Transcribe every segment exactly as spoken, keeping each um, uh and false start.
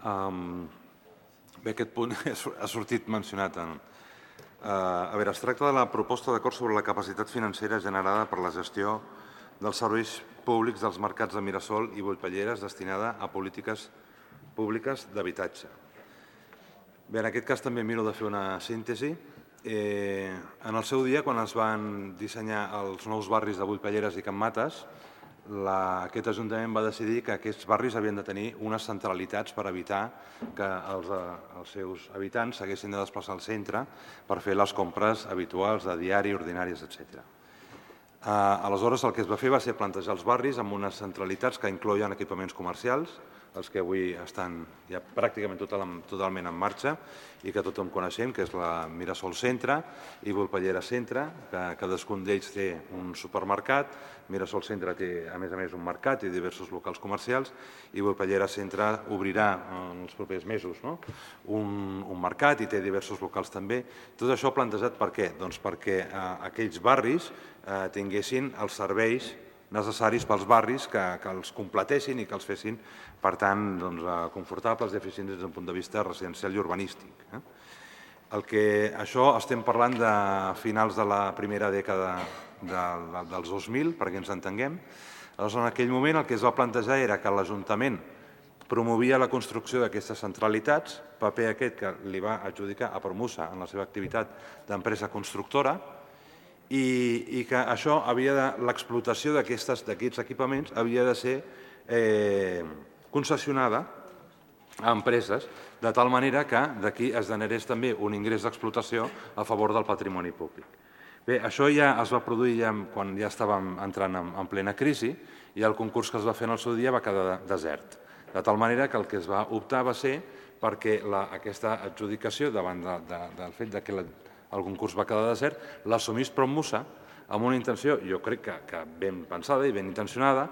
Bé, aquest punt ha sortit mencionat. A veure, es tracta de la proposta d'acord sobre la capacitat financera generada per la gestió dels serveis públics dels mercats de Mirasol i Volpelleres destinada a polítiques públiques d'habitatge. Bé, en aquest cas també miro de fer una síntesi. En el seu dia, quan es van dissenyar els nous barris de Volpelleres i Can Mates, aquest Ajuntament va decidir que aquests barris havien de tenir unes centralitats per evitar que els seus habitants s'haguessin de desplaçar al centre per fer les compres habituals de diari, ordinàries, etcètera. Aleshores, el que es va fer va ser plantejar els barris amb unes centralitats que incloïen equipaments comercials, els que avui estan ja pràcticament totalment en marxa i que tothom coneixem, que és la Mirasol Centre i Volpelleres Centre, que cadascun d'ells té un supermercat. Mirasol Centre té, a més a més, un mercat i diversos locals comercials i Volpelleres Centre obrirà en els propers mesos un mercat i té diversos locals també. Tot això plantejat per què? Doncs perquè aquells barris tinguessin els serveis necessaris pels barris que els completessin i que els fessin, per tant, confortables i eficients des d'un punt de vista residencial i urbanístic. Això estem parlant de finals de la primera dècada dels dos mil, perquè ens entenguem. Aleshores, en aquell moment el que es va plantejar era que l'Ajuntament promovia la construcció d'aquestes centralitats, paper aquest que li va adjudicar a Promusa en la seva activitat d'empresa constructora, i que això havia de, l'explotació d'aquests equipaments havia de ser concessionada a empreses, de tal manera que d'aquí es generés també un ingrés d'explotació a favor del patrimoni públic. Bé, això ja es va produir quan ja estàvem entrant en plena crisi i el concurs que es va fer en el seu dia va quedar desert. De tal manera que el que es va optar va ser perquè aquesta adjudicació, davant del fet que el concurs va quedar desert, l'assumís Promusa amb una intenció, jo crec que ben pensada i ben intencionada,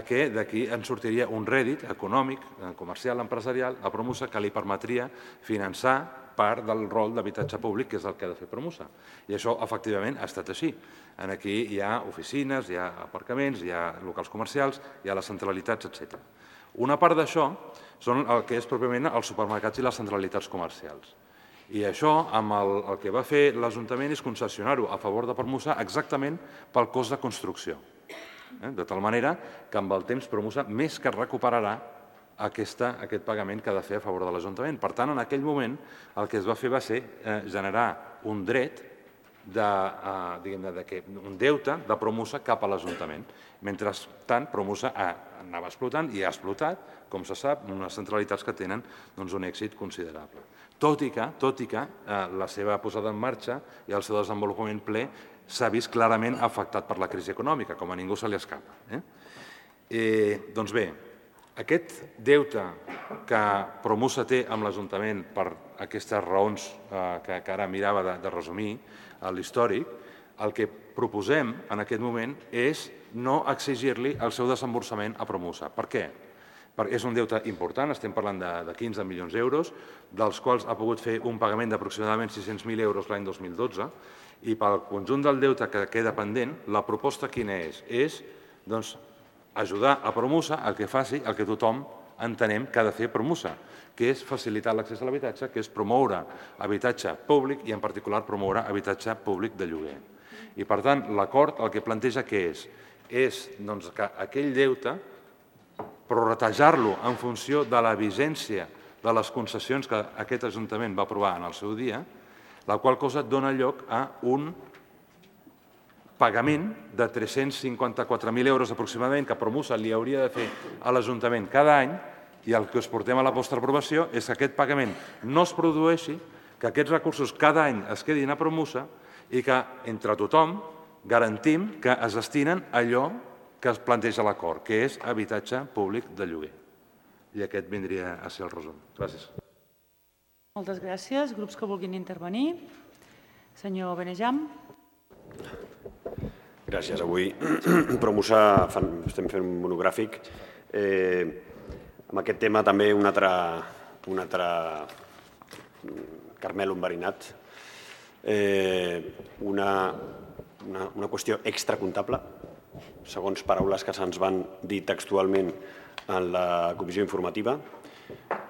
que d'aquí en sortiria un rèdit econòmic, comercial, empresarial a Promusa que li permetria finançar part del rol d'habitatge públic, que és el que ha de fer Promusa. I això, efectivament, ha estat així. Aquí hi ha oficines, hi ha aparcaments, hi ha locals comercials, hi ha les centralitats, etcètera. Una part d'això són el que és pròpiament els supermercats i les centralitats comercials. I això, el que va fer l'Ajuntament és concessionar-ho a favor de Promusa exactament pel cost de construcció. De tal manera que amb el temps Promusa més que recuperarà aquest pagament que ha de fer a favor de l'Ajuntament. Per tant, en aquell moment el que es va fer va ser generar un dret, un deute de Promusa cap a l'Ajuntament. Mentrestant, Promusa anava explotant i ha explotat, com se sap, unes centralitats que tenen un èxit considerable. Tot i que la seva posada en marxa i el seu desenvolupament ple s'ha vist clarament afectat per la crisi econòmica, com a ningú se li escapa. Doncs bé, aquest deute que Promusa té amb l'Ajuntament per aquestes raons que ara mirava de resumir a l'històric, el que proposem en aquest moment és no exigir-li el seu desemborsament a Promusa. Per què? Perquè és un deute important, estem parlant de quinze milions d'euros, dels quals ha pogut fer un pagament d'aproximadament sis-cents mil euros l'any dos mil dotze, i pel conjunt del deute que queda pendent, la proposta quina és? És ajudar a Promusa a que faci el que tothom entenem que ha de fer Promusa, que és facilitar l'accés a l'habitatge, que és promoure habitatge públic i, en particular, promoure habitatge públic de lloguer. I, per tant, l'acord el que planteja què és? És que aquell deute, prorratejar-lo en funció de la vigència de les concessions que aquest Ajuntament va aprovar en el seu dia, la qual cosa dona lloc a un pagament de tres-cents cinquanta-quatre mil euros aproximadament que Promusa li hauria de fer a l'Ajuntament cada any, i el que us portem a la vostra aprovació és que aquest pagament no es produeixi, que aquests recursos cada any es quedin a Promusa i que entre tothom garantim que es destinen a allò que es planteja a l'acord, que és habitatge públic de lloguer. I aquest vindria a ser el resum. Gràcies. Moltes gràcies. Grups que vulguin intervenir. Senyor Benejam. Gràcies. Avui Promusa estem fent un monogràfic. Amb aquest tema també un altre Carmel enverinat. Una qüestió extracomptable, segons paraules que se'ns van dir textualment en la comissió informativa,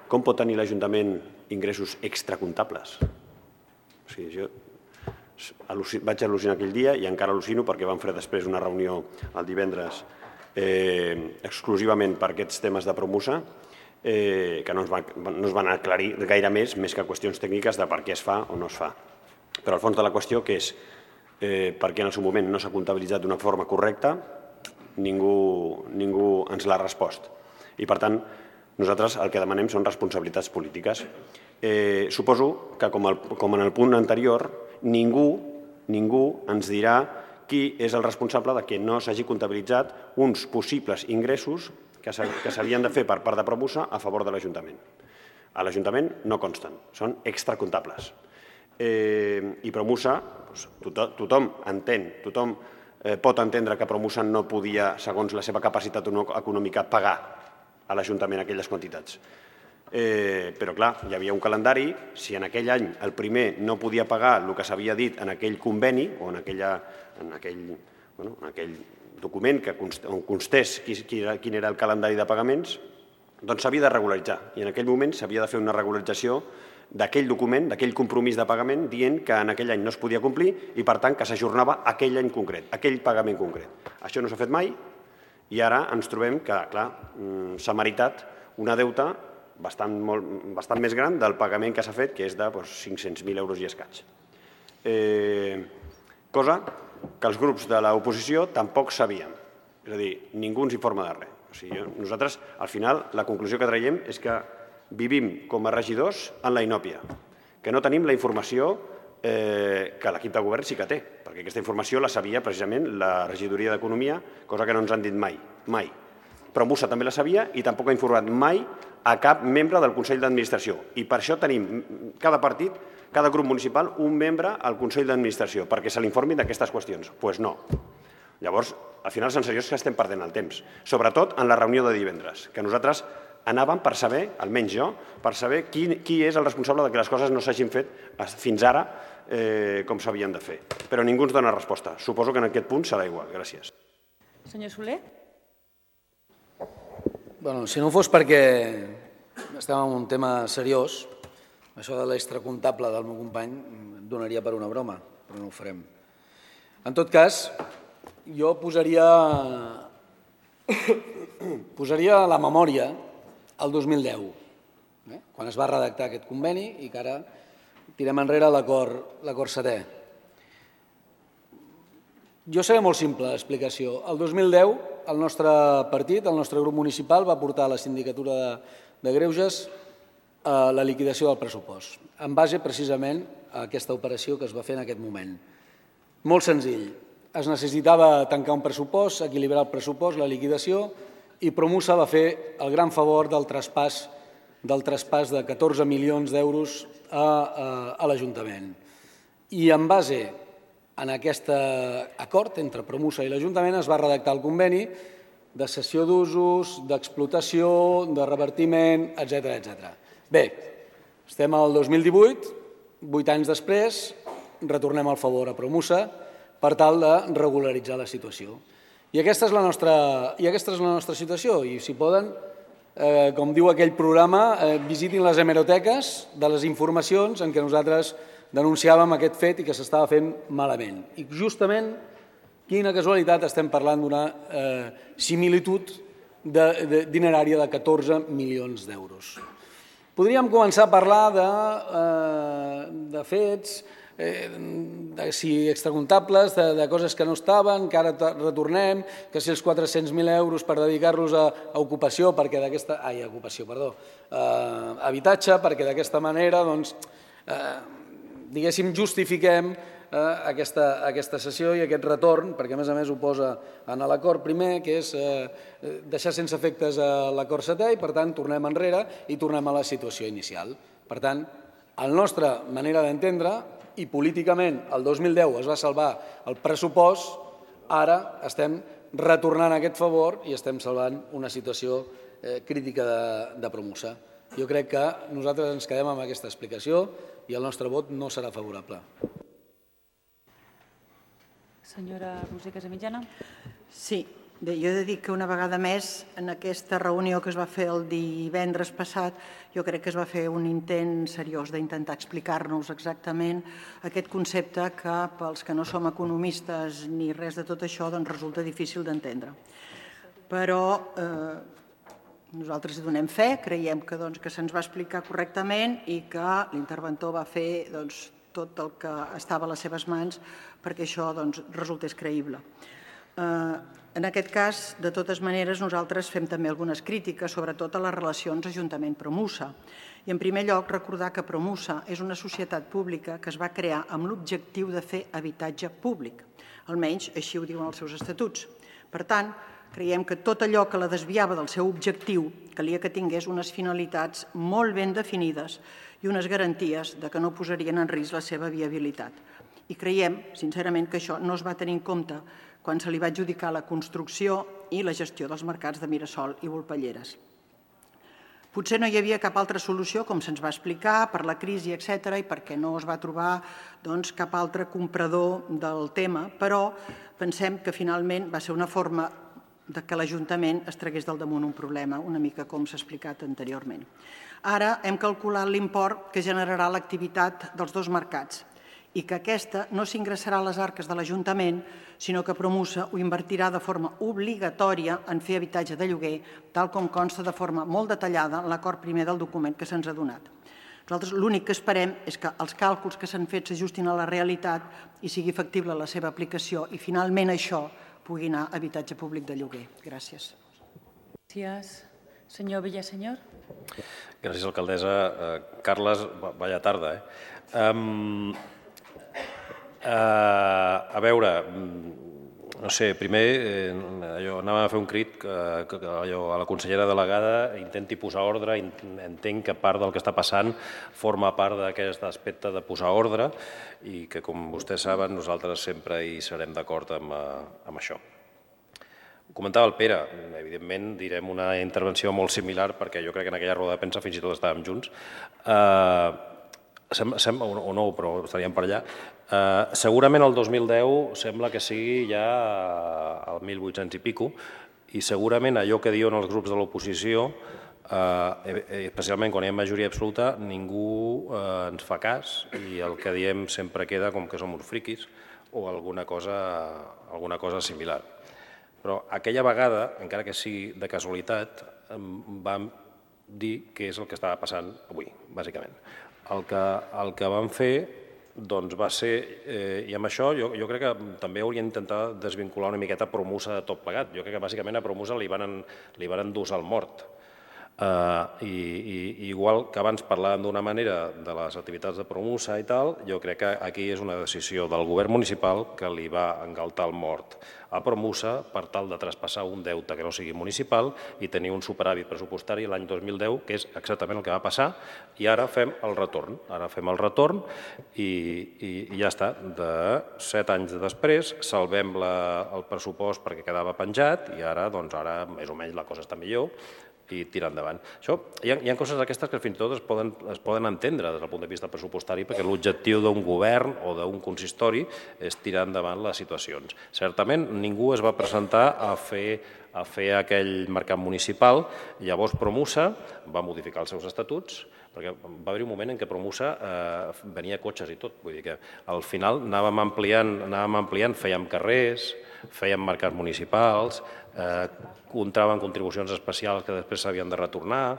com pot tenir l'Ajuntament ingressos extracomptables? O sigui, jo vaig al·lucinar aquell dia i encara al·lucino perquè vam fer després una reunió el divendres exclusivament per aquests temes de Promusa, que no es van aclarir gaire més, més que qüestions tècniques de per què es fa o no es fa. Però el fons de la qüestió, que és per què en el seu moment no s'ha comptabilitzat d'una forma correcta, ningú ens l'ha respost. I, per tant, nosaltres el que demanem són responsabilitats polítiques. Suposo que, com en el punt anterior, ningú ens dirà qui és el responsable de que no s'hagi comptabilitzat uns possibles ingressos que s'havien de fer per part de Promusa a favor de l'Ajuntament. A l'Ajuntament no consten, són extracomptables. I Promusa, tothom entén, tothom pot entendre que Promusa no podia, segons la seva capacitat econòmica, pagar a l'Ajuntament aquelles quantitats. Però, clar, hi havia un calendari. Si en aquell any el primer no podia pagar el que s'havia dit en aquell conveni o en aquell document on constés quin era el calendari de pagaments, doncs s'havia de regularitzar. I en aquell moment s'havia de fer una regularització d'aquell document, d'aquell compromís de pagament, dient que en aquell any no es podia complir i, per tant, que s'ajornava aquell any concret, aquell pagament concret. Això no s'ha fet mai i ara ens trobem que, clar, s'ha meritat una deuta bastant més gran del pagament que s'ha fet, que és de cinc-cents mil euros i escaig. Cosa que els grups de l'oposició tampoc sabíem. És a dir, ningú ens informa de res. Nosaltres, al final, la conclusió que traiem és que vivim com a regidors en la inòpia, que no tenim la informació que l'equip de govern sí que té, perquè aquesta informació la sabia precisament la regidoria d'Economia, cosa que no ens han dit mai, mai. Promusa també la sabia i tampoc ha informat mai a cap membre del Consell d'Administració. I per això tenim cada partit, cada grup municipal, un membre al Consell d'Administració, perquè se l'informin d'aquestes qüestions. Doncs no. Llavors, al final, sensació és que estem perdent el temps, sobretot en la reunió de divendres, que nosaltres anàvem per saber, almenys jo, per saber qui és el responsable que les coses no s'hagin fet fins ara com s'havien de fer. Però ningú ens dona resposta. Suposo que en aquest punt serà igual. Gràcies. Senyor Soler? Si no fos perquè estem en un tema seriós, això de l'extracomptable del meu company em donaria per una broma, però no ho farem. En tot cas, jo posaria posaria la memòria al dos mil deu, quan es va redactar aquest conveni i que ara tirem enrere l'acord setè. Jo seré molt simple l'explicació. El dos mil deu el nostre partit, el nostre grup municipal, va portar a la Sindicatura de Greuges la liquidació del pressupost, en base precisament a aquesta operació que es va fer en aquest moment. Molt senzill. Es necessitava tancar un pressupost, equilibrar el pressupost, la liquidació, i Promusa va fer el gran favor del traspàs del traspàs de catorze milions d'euros a l'Ajuntament. I en base en aquest acord entre Promusa i l'Ajuntament es va redactar el conveni de cessió d'usos, d'explotació, de revertiment, etcètera. Bé, estem al dos mil divuit, vuit anys després, retornem el favor a Promusa per tal de regularitzar la situació. I aquesta és la nostra situació. I si poden, com diu aquell programa, visitin les hemeroteques de les informacions en què nosaltres denunciàvem aquest fet i que s'estava fent malament. I justament, quina casualitat, estem parlant d'una similitud dinerària de catorze milions d'euros. Podríem començar a parlar de fets, si extracomptables, de coses que no estaven, que ara retornem, que si els quatre-cents mil euros per dedicar-los a ocupació, perquè d'aquesta... Ai, a ocupació, perdó. A habitatge, perquè d'aquesta manera, doncs, diguéssim, justifiquem aquesta cessió i aquest retorn, perquè a més a més ho posa en l'acord primer, que és deixar sense efectes l'acord setè i, per tant, tornem enrere i tornem a la situació inicial. Per tant, la nostra manera d'entendre, i políticament el dos mil deu es va salvar el pressupost, ara estem retornant aquest favor i estem salvant una situació crítica de Promusa. Jo crec que nosaltres ens quedem amb aquesta explicació i el nostre vot no serà favorable. Senyora Roser Casamitjana. Sí, Bé, jo he de dir que una vegada més, en aquesta reunió que es va fer el divendres passat, jo crec que es va fer un intent seriós d'intentar explicar-nos exactament aquest concepte que pels que no som economistes ni res de tot això doncs resulta difícil d'entendre. Però eh, nosaltres hi donem fe, creiem que, doncs, que se'ns va explicar correctament i que l'interventor va fer doncs, tot el que estava a les seves mans perquè això doncs, resultés creïble. Eh, En aquest cas, de totes maneres, nosaltres fem també algunes crítiques, sobretot a les relacions Ajuntament-Promusa. I, en primer lloc, recordar que Promusa és una societat pública que es va crear amb l'objectiu de fer habitatge públic. Almenys així ho diuen els seus estatuts. Per tant, creiem que tot allò que la desviava del seu objectiu calia que tingués unes finalitats molt ben definides i unes garanties de que no posarien en risc la seva viabilitat. I creiem, sincerament, que això no es va tenir en compte quan se li va adjudicar la construcció i la gestió dels mercats de Mirasol i Volpelleres. Potser no hi havia cap altra solució, com se'ns va explicar, per la crisi, etcètera, i perquè no es va trobar doncs, cap altre comprador del tema, però pensem que finalment va ser una forma de que l'Ajuntament es tragués del damunt un problema, una mica com s'ha explicat anteriorment. Ara hem calculat l'import que generarà l'activitat dels dos mercats, i que aquesta no s'ingressarà a les arques de l'Ajuntament, sinó que Promusa ho invertirà de forma obligatòria en fer habitatge de lloguer, tal com consta de forma molt detallada en l'acord primer del document que se'ns ha donat. Nosaltres l'únic que esperem és que els càlculs que s'han fet s'ajustin a la realitat i sigui factible la seva aplicació i finalment això pugui anar a habitatge públic de lloguer. Gràcies. Gràcies. Senyor Villasenyor. Gràcies, alcaldessa. Carles, vaya tarda, eh? Um... Uh, a veure, no sé, primer eh, allò, anàvem a fer un crit que, que allò, a la consellera delegada intenti posar ordre, entenc que part del que està passant forma part d'aquest aspecte de posar ordre i que, com vostès saben, nosaltres sempre hi serem d'acord amb, amb això. Ho comentava el Pere, evidentment direm una intervenció molt similar perquè jo crec que en aquella roda de premsa fins i tot estàvem junts. Uh, Sembla, sembla, o no, però estaríem per allà. Uh, segurament el dos mil deu sembla que sigui ja el mil vuit-cents i pico i segurament allò que diuen els grups de l'oposició, uh, especialment quan hi ha majoria absoluta, ningú uh, ens fa cas i el que diem sempre queda com que som uns friquis o alguna cosa, alguna cosa similar. Però aquella vegada, encara que sigui de casualitat, vam dir què és el que estava passant avui, bàsicament. El que, el que vam fer doncs, va ser, eh, i amb això jo, jo crec que també hauríem d'intentar desvincular una miqueta Promusa de tot plegat. Jo crec que bàsicament a Promusa li van, li van endosar el mort. Uh, i, i igual que abans parlàvem d'una manera de les activitats de Promusa i tal, jo crec que aquí és una decisió del govern municipal que li va engaltar el mort a Promusa per tal de traspassar un deute que no sigui municipal i tenir un superàvit pressupostari l'any dos mil deu, que és exactament el que va passar, i ara fem el retorn. Ara fem el retorn i, i, i ja està. De set anys després salvem la, el pressupost perquè quedava penjat i ara, doncs, ara més o menys la cosa està millor i tirar endavant. Això, hi ha, hi ha coses d'aquestes que fins i tot es poden, es poden entendre des del punt de vista pressupostari perquè l'objectiu d'un govern o d'un consistori és tirar endavant les situacions. Certament, ningú es va presentar a fer, a fer aquell mercat municipal, llavors Promusa va modificar els seus estatuts, perquè va haver un moment en què Promusa eh, venia cotxes i tot, vull dir que al final anàvem ampliant, anàvem ampliant, fèiem carrers, fèiem mercats municipals, eh, contraven contribucions especials que després s'havien de retornar,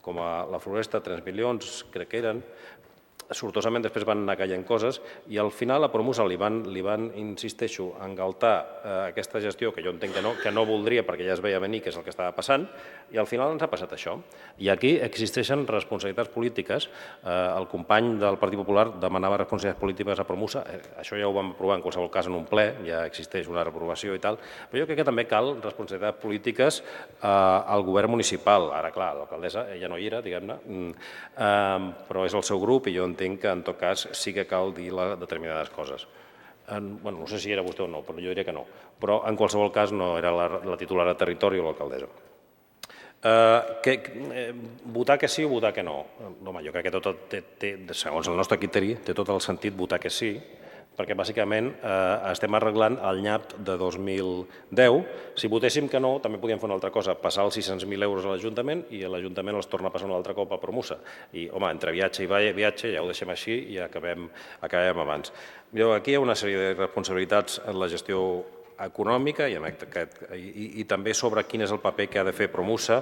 com a la Floresta, tres milions, crec que eren. Sortosament després van anar caient coses i al final a Promusa li van, li van insisteixo, engaltar eh, aquesta gestió que jo entenc que no, que no voldria perquè ja es veia venir que és el que estava passant i al final ens ha passat això. I aquí existeixen responsabilitats polítiques. Eh, el company del Partit Popular demanava responsabilitats polítiques a Promusa. Eh, això ja ho vam aprovar en qualsevol cas en un ple, ja existeix una reprovació i tal, però jo crec que també cal responsabilitats polítiques eh, al govern municipal. Ara, clar, l'alcaldessa ja no hi era, diguem-ne, eh, però és el seu grup i jo entenc que en tot cas sí que cal dir determinades coses. En, bueno, no sé si era vostè o no, però jo diria que no. Però en qualsevol cas no era la, la titular de territori o l'alcaldessa. Eh, que, eh, votar que sí o votar que no? Home, jo crec que tot, té, té, segons el nostre criteri té tot el sentit votar que sí, perquè bàsicament estem arreglant el nyap de dos mil deu. Si votéssim que no, també podíem fer una altra cosa, passar els sis-cents mil euros a l'Ajuntament i l'Ajuntament els torna a passar un altre cop a Promusa. I, home, entre viatge i viatge ja ho deixem així i acabem abans. Aquí hi ha una sèrie de responsabilitats en la gestió econòmica i també sobre quin és el paper que ha de fer Promusa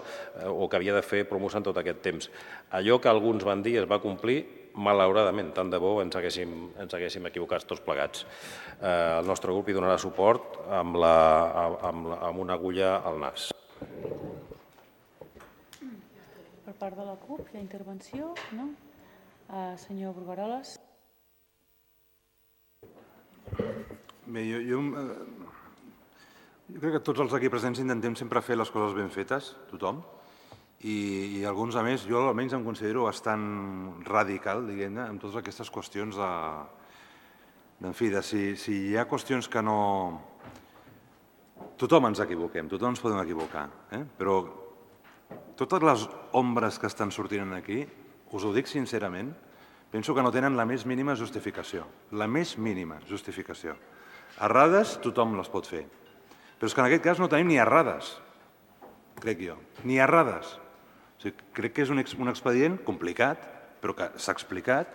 o que havia de fer Promusa en tot aquest temps. Allò que alguns van dir es va complir, malauradament, tant de bo ens haguéssim equivocat tots plegats. El nostre grup hi donarà suport amb una agulla al nas. Per part de la CUP, hi ha intervenció? No? Senyor Brugueroles. Bé, jo crec que tots els aquí presents intentem sempre fer les coses ben fetes, tothom, i alguns, a més, jo almenys em considero bastant radical, diguem-ne, amb totes aquestes qüestions de... En fi, de si hi ha qüestions que no... Tothom ens equivoquem, tothom ens podem equivocar, però totes les ombres que estan sortint aquí, us ho dic sincerament, penso que no tenen la més mínima justificació, la més mínima justificació. Errades tothom les pot fer, però és que en aquest cas no tenim ni errades, crec jo, ni errades. Crec que és un expedient complicat, però que s'ha explicat,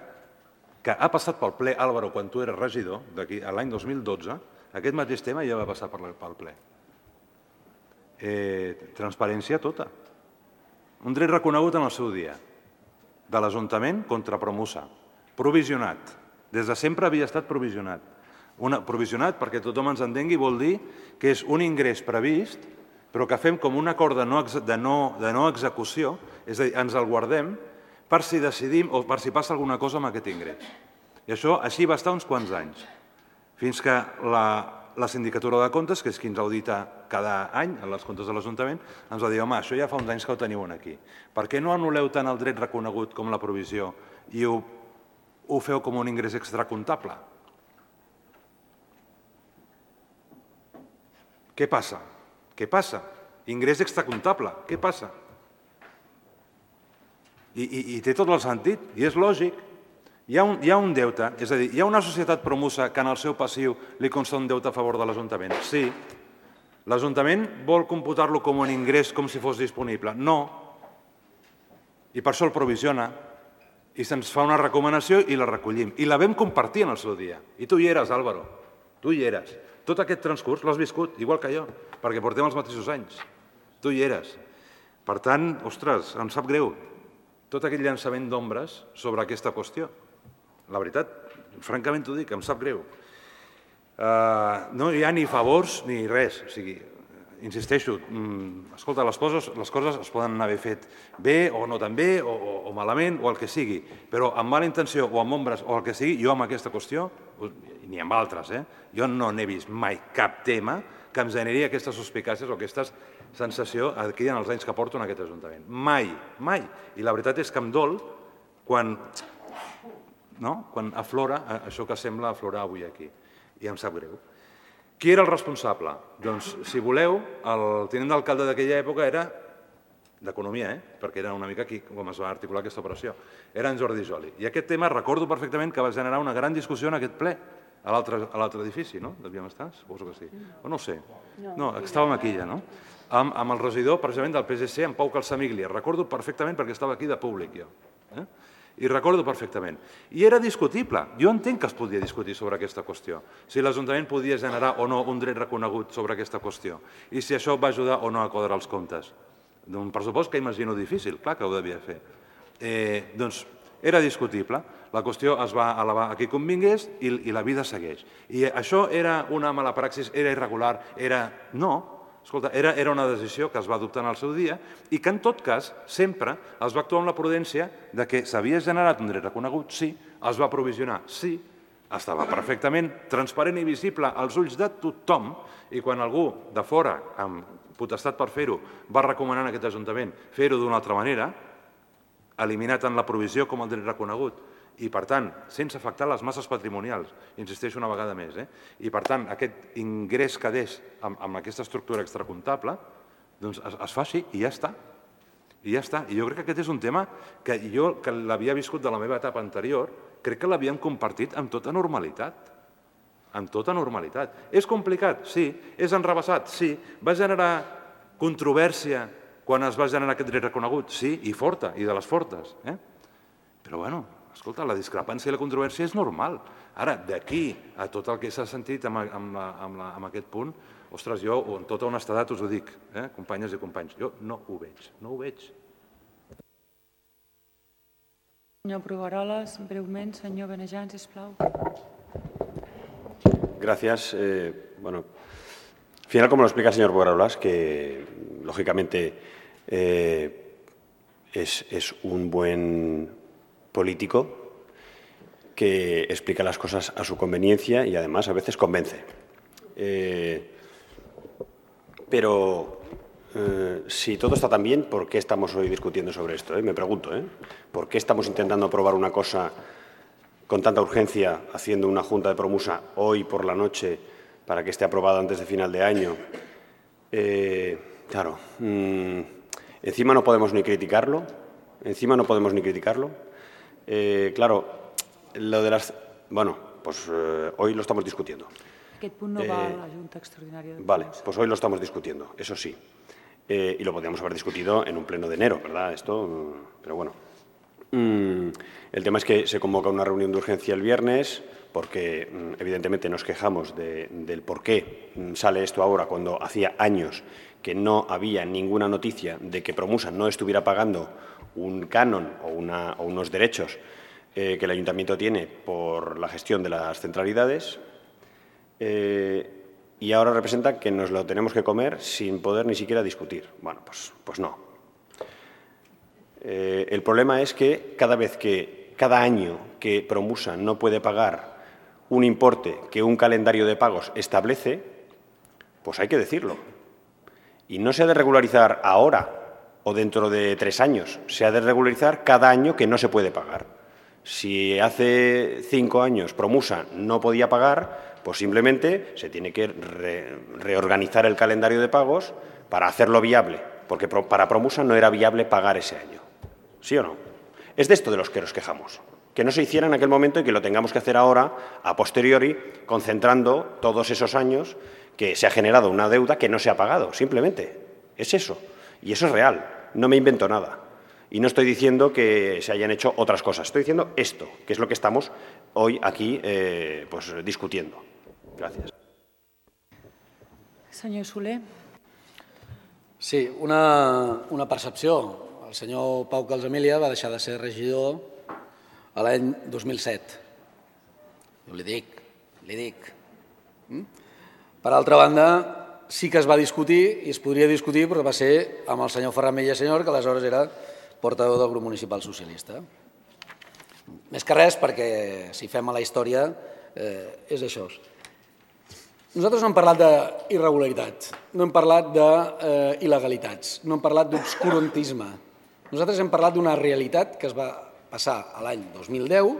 que ha passat pel ple, Álvaro, quan tu eres regidor, l'any dos mil dotze, aquest mateix tema ja va passar pel ple. Transparència tota. Un dret reconegut en el seu dia, de l'Ajuntament contra Promusa, provisionat. Des de sempre havia estat provisionat. Provisionat, perquè tothom ens entengui, vol dir que és un ingrés previst, però que fem com un acord de no execució, és a dir, ens el guardem per si decidim o per si passa alguna cosa amb aquest ingrés. I això així va estar uns quants anys, fins que la Sindicatura de Comptes, que és qui ens audita cada any en les comptes de l'Ajuntament, ens va dir, home, això ja fa uns anys que ho teniu aquí. Per què no anul·leu tant el dret reconegut com la provisió i ho feu com un ingrés extracomptable? Què passa? Què passa? Ingrés extracomptable. Què passa? I té tot el sentit, i és lògic. Hi ha un deute, és a dir, hi ha una societat Promusa que en el seu passiu li consta un deute a favor de l'Ajuntament? Sí. L'Ajuntament vol computar-lo com un ingrés com si fos disponible? No. I per això el provisiona. I se'ns fa una recomanació i la recollim. I la vam compartir en el seu dia. I tu hi eres, Álvaro. Tu hi eres. Tot aquest transcurs l'has viscut, igual que jo, perquè portem els mateixos anys. Tu hi eres. Per tant, ostres, em sap greu tot aquell llançament d'ombres sobre aquesta qüestió. La veritat, francament t'ho dic, em sap greu. No hi ha ni favors ni res. O sigui, insisteixo, escolta, les coses es poden haver fet bé o no tan bé o malament o el que sigui, però amb mala intenció o amb ombres o el que sigui, jo amb aquesta qüestió, ni amb altres, jo no n'he vist mai cap tema que em generi aquestes suspicàcies o aquesta sensació aquí en els anys que porto en aquest Ajuntament. Mai, mai. I la veritat és que em dol quan aflora això que sembla aflorar avui aquí. I em sap greu. Qui era el responsable? Doncs, si voleu, el tinent d'alcalde d'aquella època era d'Economia, perquè era una mica aquí com es va articular aquesta operació. Era en Jordi Joli. I aquest tema recordo perfectament que va generar una gran discussió en aquest ple, a l'altre edifici, no? Devíem estar? Suposo que sí. O no ho sé. No, estàvem aquí ja, no? Amb el regidor, precisament, del P S C, en Pau Calsamiglia. Recordo perfectament perquè estava aquí de públic, jo. I recordo perfectament. I era discutible. Jo entenc que es podia discutir sobre aquesta qüestió. Si l'Ajuntament podia generar o no un dret reconegut sobre aquesta qüestió. I si això va ajudar o no a quadrar els comptes. Un pressupost que imagino difícil, clar que ho devia fer. Doncs era discutible. La qüestió es va elevar a qui convingués i la vida segueix. I això era una mala praxis, era irregular, era... No. Escolta, era una decisió que es va adoptar en el seu dia i que, en tot cas, sempre es va actuar amb la prudència de que s'havia generat un dret reconegut, sí, es va provisionar, sí, estava perfectament transparent i visible als ulls de tothom i quan algú de fora, amb potestat per fer-ho, va recomanar en aquest Ajuntament fer-ho d'una altra manera, eliminat en la provisió com el dret reconegut, i, per tant, sense afectar les masses patrimonials, insisteixo una vegada més, i, per tant, aquest ingrés que deix amb aquesta estructura extracomptable, doncs es fa així i ja està. I ja està. I jo crec que aquest és un tema que jo, que l'havia viscut de la meva etapa anterior, crec que l'havíem compartit amb tota normalitat. amb tota normalitat. És complicat? Sí. És enrevessat? Sí. Va generar controvèrsia quan es va generar aquest dret reconegut? Sí, i forta, i de les fortes. Però, bueno, escolta, la discrepància i la controvèrsia és normal. Ara, d'aquí a tot el que s'ha sentit amb aquest punt, ostres, jo, amb tota honestedat us ho dic, companyes i companys, jo no ho veig, no ho veig. Senyor Brugueroles, breument, senyor Benejam, sisplau. Gracias. Eh, bueno, al final, como lo explica el señor Brugueroles, que lógicamente eh, es, es un buen político que explica las cosas a su conveniencia y además a veces convence. Eh, pero eh, si todo está tan bien, ¿por qué estamos hoy discutiendo sobre esto? Eh? Me pregunto, ¿eh? ¿por qué estamos intentando aprobar una cosa con tanta urgencia, haciendo una junta de promusa hoy por la noche para que esté aprobada antes de final de año? Eh, claro, mmm, encima no podemos ni criticarlo, encima no podemos ni criticarlo. Eh, claro, lo de las... Bueno, pues eh, hoy lo estamos discutiendo. Aquest punt no eh, va a la Junta Extraordinària de Vale, pues hoy lo estamos discutiendo, eso sí. Eh, y lo podríamos haber discutido en un pleno de enero, ¿verdad? Esto, pero bueno. Mm, el tema es que se convoca una reunión de urgencia el viernes porque mm, evidentemente nos quejamos de, del por qué sale esto ahora cuando hacía años que no había ninguna noticia de que Promusa no estuviera pagando un canon o, una, o unos derechos eh, que el Ayuntamiento tiene por la gestión de las centralidades eh, y ahora representa que nos lo tenemos que comer sin poder ni siquiera discutir. Bueno, pues, pues no. Eh, el problema es que cada vez que, cada año que Promusa no puede pagar un importe que un calendario de pagos establece, pues hay que decirlo. Y no se ha de regularizar ahora o dentro de tres años, se ha de regularizar cada año que no se puede pagar. Si hace cinco años Promusa no podía pagar, pues simplemente se tiene que re reorganizar el calendario de pagos para hacerlo viable, porque para Promusa no era viable pagar ese año. ¿Sí o no? Es de esto de los que nos quejamos, que no se hiciera en aquel momento y que lo tengamos que hacer ahora, a posteriori, concentrando todos esos años que se ha generado una deuda que no se ha pagado, simplemente. Es eso. Y eso es real. No me invento nada. Y no estoy diciendo que se hayan hecho otras cosas. Estoy diciendo esto, que es lo que estamos hoy aquí eh, pues, discutiendo. Gracias. Senyor Soler. Sí, una, una percepció. El senyor Pau Calzamilla va deixar de ser regidor a l'any dos mil set. Jo li dic, li dic. Per altra banda, sí que es va discutir, i es podria discutir, però va ser amb el senyor Ferran Villasenyor, que aleshores era portaveu del grup municipal socialista. Més que res, perquè si fem a la història, eh, és això. Nosaltres no hem parlat d'irregularitats, no hem parlat d'il·legalitats, no hem parlat d'obscurantisme. Nosaltres hem parlat d'una realitat que es va passar a l'any dos mil deu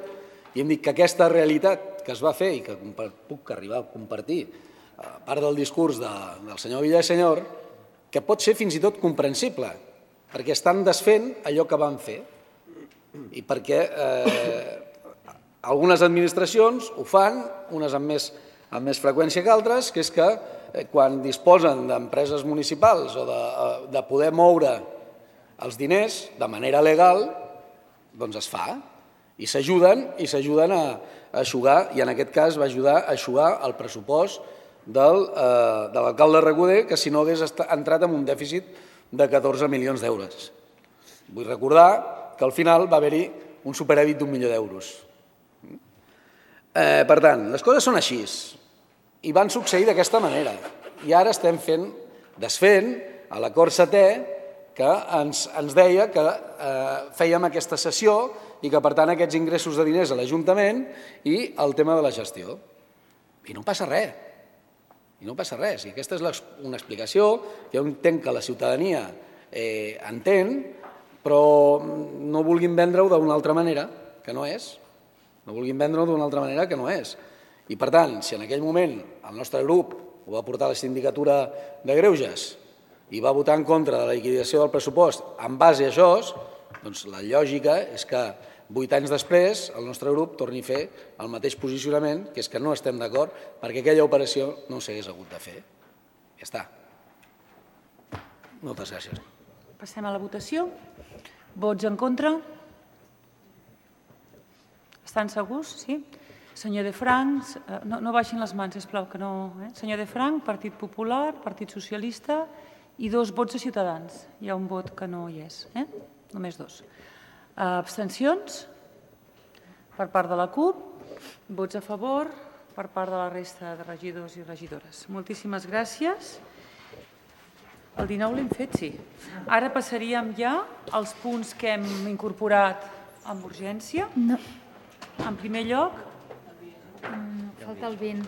i hem dit que aquesta realitat que es va fer i que puc arribar a compartir a part del discurs de, del senyor Villasenyor, que pot ser fins i tot comprensible, perquè estan desfent allò que van fer i perquè eh, algunes administracions ho fan, unes amb més, amb més freqüència que altres, que és que eh, quan disposen d'empreses municipals o de, de poder moure els diners de manera legal, doncs es fa i s'ajuden i s'ajuden a, a eixugar, i en aquest cas va ajudar a eixugar el pressupost del, eh, de l'alcalde Recoder, que si no hagués entrat en un dèficit de catorze milions d'euros. Vull recordar que al final va haver-hi un superàvit d'un milió d'euros. Eh, per tant, les coses són així i van succeir d'aquesta manera. I ara estem fent, desfent a l'acord setè que ens, ens deia que eh, fèiem aquesta sessió i que, per tant, aquests ingressos de diners a l'Ajuntament i el tema de la gestió. I no passa res. I no passa res. I aquesta és una explicació que jo entenc que la ciutadania eh, entén, però no vulguin vendre-ho d'una altra manera, que no és. No vulguin vendre-ho d'una altra manera, que no és. I, per tant, si en aquell moment el nostre grup ho va portar a la Sindicatura de Greuges i va votar en contra de la liquidació del pressupost en base a això, doncs la lògica és que vuit anys després, el nostre grup torni a fer el mateix posicionament, que és que no estem d'acord perquè aquella operació no s'hagués hagut de fer. Ja està. Moltes gràcies. Passem a la votació. Vots en contra? Estan segurs? Sí? Senyor De Franc, no, no baixin les mans, sisplau, que no... Eh? Senyor De Franc, Partit Popular, Partit Socialista i dos vots de Ciutadans. Hi ha un vot que no hi és, eh? Només dos. Abstencions? Per part de la CUP. Vots a favor per part de la resta de regidors i regidores. Moltíssimes gràcies. El dinou l'hem fet, sí. Ara passaríem ja als punts que hem incorporat amb urgència. No. En primer lloc, Falta el vint.